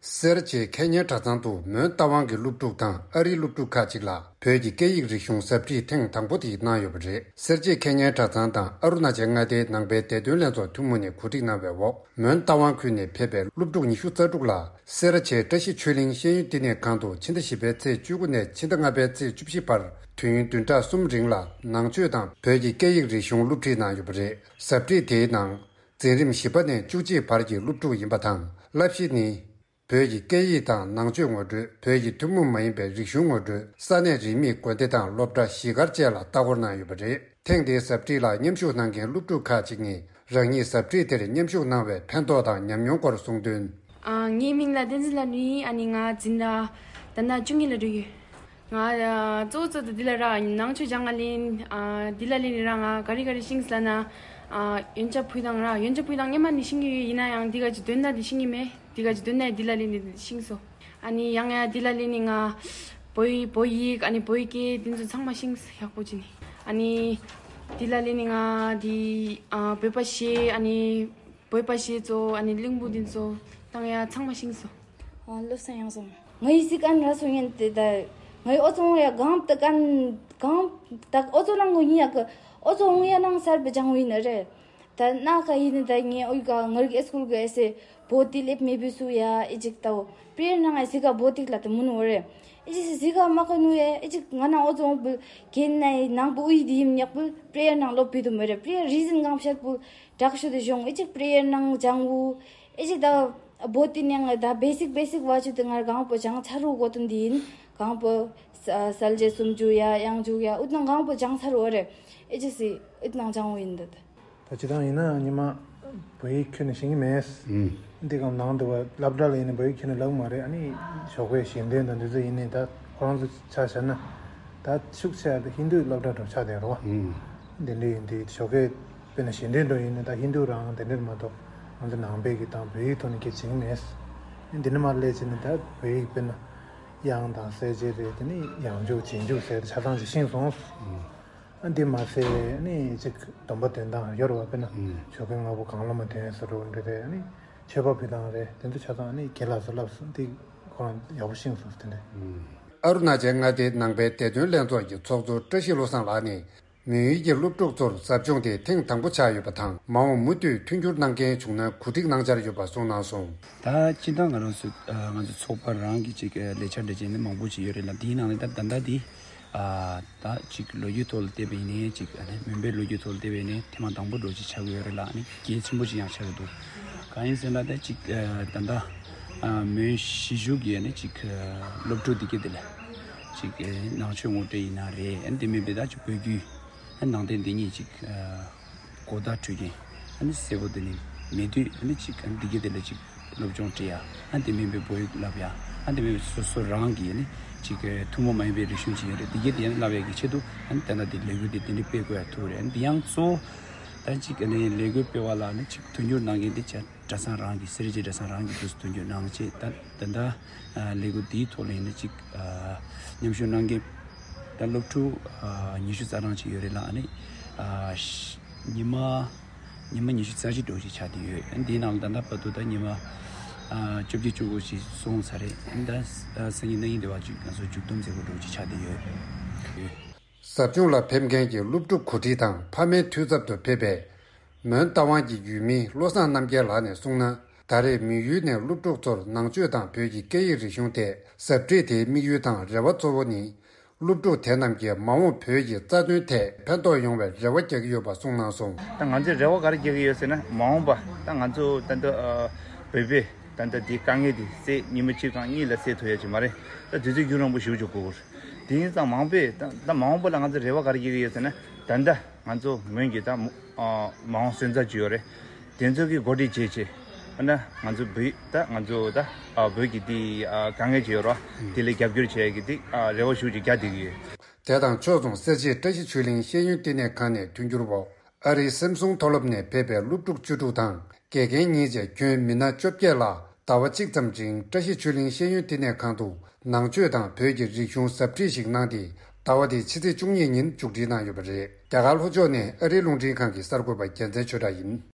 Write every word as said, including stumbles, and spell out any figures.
སེར་བྱེས་ཁེ་ཉན་གྲྭ་ཚང་དུ་མོན་རྟ་དབང་གི་སློབ་ཕྲུག་དང་ཨ་རིའི་སློབ་ཕྲུག་ཁག་ཅིག་ལ་བོད་ཀྱི་སྐད་ཡིག་རིག་གཞུང་ཟབ་ཁྲིད་ཐེངས་དང་པོ་དེ་གནང་ཡོད་པ་རེད། སེར་བྱེས་ཁེ་ཉན་གྲྭ་ཚང་དང་ཨ་རུ་ན་ཅལ་མངའ་སྡེའི་ནང་པའི་བདེ་དོན་ལྷན་ཚོགས་ཐུན་མོང་ནས་གོ་སྒྲིག་གནང་བའི་འོག་མོན་རྟ་དབང་ཁུལ་ནས་ཕེབས་པའི་སློབ་ཕྲུག་ཉི་ཤུ་རྩ་དྲུག་ལ་སེ་ར་བྱེས་བཀྲ་ཤིས་ཆོས་གླིང་ཤེས་ཡོན་བསྟི་གནས་ཁང་དུ་ཕྱི་ཟླ་བཞི་པའི་ཚེས་བཅུ་དགུ་ནས་ཕྱི་ཟླ་ལྔ་པའི་ཚེས་བཅུ་བཞི་བར་དུས་ཡུན་བདུན་ཕྲག་གསུམ་རིང་ལ་ནང་ཆོས་དང་བོད་ཀྱི་སྐད་ཡིག་རིག་གཞུང་སློབ་ཁྲིད་གནང་ཡོད་པ་རེད། ཟབ་ཁྲིད་དེའི་ནང་། འཛིན་རིམ་བཞི་པ་ནས་བཅུ་གཅིག་བར་གྱི་སློབ་ཕྲུག་ཡིན་པ་དང་། བསླབ་གཞི་ནི། བོད་ཀྱི་སྐད་ཡིག་དང་ནང་ཆོས་ངོ་སྤྲོད། བོད་ཀྱི་ཐུན་མོང་མ་ཡིན་པའི་རིག་གཞུང་ངོ་སྤྲོད། ས་གནས་རིས་མེད་དགོན་སྡེ་དང་སློབ་གྲྭ་གཞིས་སྒར་བཅས་ལ་ལྟ་སྐོར་གནང་ཡོད་པ་རེད། ཐེངས་འདིའི་ཟབ་ཁྲིད་ལ་མཉམ་ཞུགས་གནང་མཁན་སློབ་ཕྲུག་ཁག་ཅིག་ནས་རང་ཉིད་ཟབ་ཁྲིད་དེར་མཉམ་ཞུགས་གནང་བའི་ཕན་ཐོགས་དང་ཉམས་མྱོང་སྐོར་གསུངས་དོན། ཨ། ངའི་མིང་ལ་བསྟན་འཛིན་ལྷ་ནུ་ཡིན། ཨ་ནི་ང་འཛིན་གྲྭ་ད་ལྟ་བཅུ་གཉིས་ལ་འགྲོ་ཡོད། ང་ཨ་གཙོ་བོ་གཙོ་དེ་འདི་ལ་ར་ནང་ཆོས་སྦྱང་ག་ལེན། ཨ་འདི་ལ་ལེན་ནི་ར་ང་ག་རེ་ག་རེ་ཤེས་ལབ་ན། ཨ་ཡོན་ཆབ་ཕུལ་སྟངས་ར་ཡོན་ཆབ་ཕུལ་སྟངས་སྔོན་མ་ནས་ཤེས་ཀྱི་ཡོད། ཡིན་ན་ཡང་འདི་ག་ཅིག་འདོན་ན་འདི་ཤེས་ཀྱི་མེད། འདི་ག་ཅིག་འདོན་ན་འདི་ལ་ལེན་ནི་ཤེས་སོང་། ཨ་ནི་ཡང་ཡང་འདི་ལ་ལེན་ནི་ང་བོད་ཡིག་བོད་ཡིག་ཨ་ནི་བོད་ཡིག་སྐད་འདི་ཚོ་ཚང་མ་ཤེས་ཡག་པོ་བྱས་ནས། ཨ་ནི་འདི་ལ་ལེན་ནི་ང་འདི་ཨ་བོད་པ་གཞས་ཨ་ནི་བོད་པ་གཞས་ཚོ་ཨ་ནི་གླིང་བུ་འདི་ཚོ་བཏང་ཡ་ཚང་མ་ཤེས་སོང་། ཨ་བློ་བཟང་ཡང་སོང་། ངའི་སི་ཀན་ར་སོང་ཡན་དེ་ད། ངའི་ཨོ་ཚོང་ཡ་གང་ད་གང་གང་ད་ཨོ་ཚོང་ནང་གོ་ཡིན་ཡ་གི། ཨོ་ཚོང་ཡ་ནང་སར་བེ་ཅང་ཡིན་ནི་རེད། ད་ན་ག་ཡིན་ནི་ད་ངའི་ཨོ་ཡི་ག་ངར་གི་སྐུལ་གི་ཨེ་སེ་བོ་ཏི་ལེབ་མེ་བི་སུ་ཡ་ཨི་ཅིག་ད་བོ། པྲེ་ཡར་ནང་ཨེ་སི་ག་བོ་ཏི་ལ་ད་མུ་ནུ་རེད། ཨི་ཅིག་སི་སི་ག་མ་ག་ནུ་ཡ་ཨི་ཅིག་ང་ན་ཨོ་ཚོང་བུ་གན་ན་ཡི་ནང་བུ་ཨུ་ཡི་དི་ཡིན་ཉག་བུ་པྲེ་ཡར་ནང་ལོ་བི་དུ་མི་རེད། པྲེ་ཡར་རི་ཟིན་གང་ཤར་བུ་དྲག་ཤོས་དེ་གཞུང་ཨི་ཅིག་པྲེ་ཡར་ནང་ལྗང་བུ། ཨེ་ཅིག་ད་བོ་ཏི་ནང་ད་བེ་སིག་བེ་སིག་བ་ཆུ་དེ་ངར་གང་པོ་ཅང་ཚ་རུ་གོ་དོན་དེ་ཡིན། གང་པོ་ས་སལ་ཇེ་སུམ་ཅུ་ཡ་ཡང་ཅུ་ཡ་ཨུད་ནང་གང་པོ་ཅང་ཚ་རུ་རེད། ཨེ་ཅིག་སི་ཨུད་ནང་ཅང་བོ་ཡིན་འདུག་ད་ཅི་ད་ཡིན་ན་ཉི་མ་བོད་ཡིག་ཁྱོན་ནས་ཤེས་ཀྱི་མེད། ཨུམ། འདི་གང་ནང་དུ་བ་སློབ་གྲྭ་ལ་ཡིན་ན་བོད་ཡིག་ཁྱོན་ནས་ལབ་མ་རེད། ཨ་ནི་ཞོགས་པའི་ཞལ་འདོན་དང་འདི་ཚོ་ཡིན་ནས་ད་ཁོ་རང་ཚོ་ཆ་བཞག་ན་ད་ཤུགས་ཆེ་ཡ་ད་ཧིན་རྡུའི་སློབ་གྲྭ་འགྲོ་ཆགས་བསྡད་རོ། ཨུམ། འདི་འདྲ་ཡིན་དུས་ཞོགས་ཀས་དཔེར་ན་ཞལ་འདོན་འགྲོ་ཡིན་ན་ད་ཧིན་རྡུ་རང་དེ་འདྲ་མ་གཏོགས་ང་ཚོ་ནང་པའི་གི་དང་བོད་ཡིག་ཐོག་ནས་སྐད་བྱེད་ཀྱི་མེད། འདི་ནས་མར་སླེབས་བྱས་ནས་ད་བོད་ཡིག་དཔེར་ན་དབྱངས་དང་གསལ་བྱེད་རེད། དེ་ནས་ཡང་འཇུག་རྗེས་འཇུག་ཟེར་ཆ་ཚང་ཅིག་ཤེས་སོང་། ཨ་འདི་མ་ཟད་ནི་ཅིག་སྡོམ་པ་འདོན་སྟངས་ཡོད་རེད་བ། དཔེར་ན་ཞོགས་ཀས་སྔ་པོ་གང་བླ་མ་འདོན་ཟེར་འགྲོ་འདྲ་རེད། ནི་མཆོད་པ་ཕུལ་སྟངས་རེད། དེ་ཚོ་ཆ་ཚང་ནི་རྒན་ལགས་ཚོ་ལབ་སོང་། འདི་ཁོ་རང་ཡག་པོ་ཤེས་སོང་དེ་འདྲ། ཨ་རུ་ན་ཅལ་མངའ་སྡེའི་ནང་པའི་བདེ་དོན་ལྷན་ཚོགས་ཀྱི་ཚོགས་གཙོ་བཀྲ་ཤིས་བློ་བཟང་ལགས་ནས། མོན་ཡུལ་གྱི་སློབ་ཕྲུག་ཚོར་ཟབ་སྦྱོང་དེ་ཐེངས་དང་པོ་ཆགས་ཡོད་པ་དང་། མ་འོངས་མུ་མཐུད་མཐུན་འགྱུར་གནང་མཁན་བྱུང་ན་གོ་སྒྲིག་གནང་འཆར་ཡོད་པ་གསུངས་གནང་སོང་། ད་སྤྱིར་བཏང་ང་རང་ཚོ་ཨ་ང་ཚོ་ཚོགས་པ་རང་གི་ཅིག་ཨ་ལས་འཆར་འདྲ་ཅིག་ནི་མང་པོ་ཅིག་ཡོད་རེད་ལ། དེའི་ནང་ནས་ད་ད་ལྟ་དེ་ཨ་ད་ཅིག་ལོ་རྒྱུས་ཐོག་ལ་བལྟས་པ་ཡིན་ནའི་ཅིག་ཨ་ནི་མོན་པའི་ལོ་རྒྱུས་ཐོག་ལ་བལྟས་པ་ཡིན་ནའི་ཐེངས་མ་དང་པོ་འདྲ་ཅིག་ཆགས་ཀྱི་ཡོད་རེད་ལ། ཨ་ནི་གལ་ཆེན་པོ་ཅིག་ཡང་ཆགས་ཀྱི་འདུག་གང་ཡིན་ཟེར་ན་ད་ཅིག་ཨ་ད་ལྟ་ཨ་མོན་གཞིས་བཞུགས་ཀྱི་ཨ་ནི་ཅིག་ཨ་སློབ་ཕྲུག་འདི་གས་དེ་ལ་ཅིག་ཨ་ནང་ཆོས་ངོ་སྤྲོད་ཡིན་ན་རེད། ཨ་ནི་དེ་མིན་པའི་ད་ཅིག་བོད་བརྒྱུད། ནང་བསྟན་འདི་ཉིད་ཅིག་ཨ་གོ་བརྡ་འཕྲོད་མཁན་ཨ་ནི་གསལ་པོ་དེ་ནི་མེད་དུས། ཨ་ནི་ཅིག་ཨ་ནི་འདི་གའི་དེ་ལ་ཅིག་སློབ་སྦྱོང་སྤྲད་ཡ། ཨ་ནི་དེ་མིན་པའི་བོད་ཡིག་བསླབ་ཡ། ཨ་ནི་དེ་མིན་པའི་སོ་སོ་རང་གི་ཨ་ནི་ཅིག་ཨ་ཐུན་མོང་མ་ཡིན་པའི་རིག་གཞུང་ཅིག་ཡོད་རེད། འདི་གའི་དེ་ཡང་བསླབ་ཡ་གི་ཆེད་དུ་ཨ་ནི་ད་ལྟ་དེ་ལས་འགུལ་དེ་དེ་འདྲ་སྤེལ་དགོས་ཡ་ཐུག་རེད། ཨ་ནི་དེ་ཡང་གཙོ་བོ་ད་ཅིག་ཨ་ནི་ལས་འགུལ་སྤེལ་བ་ལ་ཨ་ནི་ཅིག་མཐུན་འགྱུར་གནང་མཁན་དེ་ཅག་གྲྭ་ཚང་རང་གི་སེར་བྱེས་གྲྭ་ཚང་རང་གི་དུས་སུ་མཐུན་འགྱུར་གནང་བྱས། ད་ད་ལྟ་ཨ་ལས་འགུལ་འདིའི་ཐོག་ལ་ཡིན་ན་ཅིག་ཨ་མཉམ་ཞུགས་གནང་མཁན་ད་སློབ་ཕྲུག་ཨ་ཉི་ཤུ་རྩ་གྲངས་ཅིག་ཡོད་རེད་ལ། ཨ་ནི་ཨ་ཉི་མ་ཉི་མ་ཉི་ཤུ་རྩ་གཅིག་འགྲོ་ཅིག་ཆགས་བསྡད་ཡོད། ཨ་ནི་འདིའི་ནང་ལ་ད་ལྟ་བར་དུ་ད་ཉི་མ་ཨ་བཅོ་བརྒྱད་བཅུ་དགུ་ཞིག་སོང་ཚར་རེད། ཨ་ནི་ད་ཨ་སང་ཉིན་གནངས་ཉིན་དེ་བར་ཅིག་ང་ཚོ་མཇུག་བསྡོམས་མཛད་སྒོ་འགྲོ་ཅིག་ཆགས་བསྡད་ཡོད། ཟབ་སྦྱོང་ལ་ཕེབས་མཁན་གྱི་སློབ་ཕྲུག་གོ་སྒྲིག་དང་ཕ་མའི་འཐུས་ཚབ་ཏུ་ཕེབས་པའི་མོན་རྟ་དབང་གི་ཡུལ་མི་བློ་བཟང་རྣམ་རྒྱལ་ལགས་ནས་གསུངས་ན། ད་རེས་མོན་ཡུལ་ནས་སློབ་ཕྲུག་ཚོར་ནང་ཆོས་དང་བོད་ཀྱི་སྐད་ཡིག་རིག་གཞུང་ཐད་ཟབ་ཁྲིད་དེའི་དམིགས་ཡུལ་དང་རེ་བ་གཙོ་བོ་ནི། སློབ་ཕྲུག་དེ་རྣམས་ཀྱིས་མ་འོངས་བོད་ཀྱི་རྩ་དོན་ཐད་ཕན་ཐོགས་ཡོང་བའི་རེ་བ་རྒྱག་གི་ཡོད་པ་གསུངས་གནང་སོང་། ད་ང་ཚོས་རེ་བ་ག་རེ་རྒྱག་གི་ཡོད་ཟེར་ན། མ་འོངས་པ་ད་ང་ཚོ་ད་ལྟ་ཨ་བོད་པས་ད་ལྟ་འདི་དཀའ་ངལ་འདི་སེལ། ཉི་མ་གཅིག་གམ་གཉིས་ལ་སེལ་ཐུབ་ཡ་ཅིག་མ་རེད། ད་དུས་ཚོད་རྒྱུན་རིང་པོ་ཞེ་པོ་ཅིག་འགོར་གི་རེད། དེ་ཡིན་ཙང་མ་འོངས་པས་ད་ད་མ་འོངས་པ་ལ་ང་ཚོ་རེ་བ་ག་རེ་རྒྱག་གི་ཡོད་ཟེར་ན། ད་ལྟ་ང་ཚོ་མོན་གྱི་ད་མ་ཨ་མ་འོངས་སོན་རྩ་ཅིག་ཡོད་རེད། དེ་ཚོ་གི་འགོ་ཁྲིད་བྱས་བྱས། ཨ་ན་ང་ཚོ་བོད་ད་ང་ཚོ་ད་ཨ་བོད་ཀྱི་དེ་ཨ་དཀའ་ངལ་ཅིག་ཡོད་རེད་བ། དེ་ལ་རྒྱབ་སྐྱོར་བྱེད་ཡ་གི་དེ་ཨ་རེ་བ་ཞེ་པོ་ཅིག་རྒྱག་བསྡད་ཀྱི་ཡོད། དེ་དང་ཕྱོགས་མཚུངས་སེར་བྱེས་བཀྲ་ཤིས་ཆོས་གླིང་ཤེས་ཡོན་བསྟི་གནས་ཁང་ནས་མཐུན་འགྱུར་འོག་ཨ་རིའི་སེམ་སུང་མཐོ་སློབ་ནས་ཕེབས་པའི་སློབ་ཕྲུག་བཅུ་དྲུག་དང་དགེ་རྒན་གཉིས་བཅས་ཁྱོན་མི་སྣ་བཅོ་བརྒྱད་ལ་ཟླ་བ་གཅིག་ཙམ་རིང་བཀྲ་ཤིས་ཆོས་གླིང་ཤེས་ཡོན་བསྟི་གནས་ཁང་དུ་ནང་ཆོས་དང་བོད་ཀྱི་རིག་གཞུང་ཟབ་ཁྲིད་ཞིག་གནང་སྟེ། ཟླ་བ་འདིའི་ཕྱི་ཚེས་བཅུ་གཉིས་ཉིན་མཇུག་སྒྲིལ་གནང་ཡོད་པ་རེད། རྒྱ་གར་ལྷོ་ཕྱོགས་ནས་ཨ་རིའི་རླུང་འཕྲིན་ཁང་གི་གསར་འགོད་པ་རྒྱལ་མཚན་ཆོས་གྲགས་ཡིན།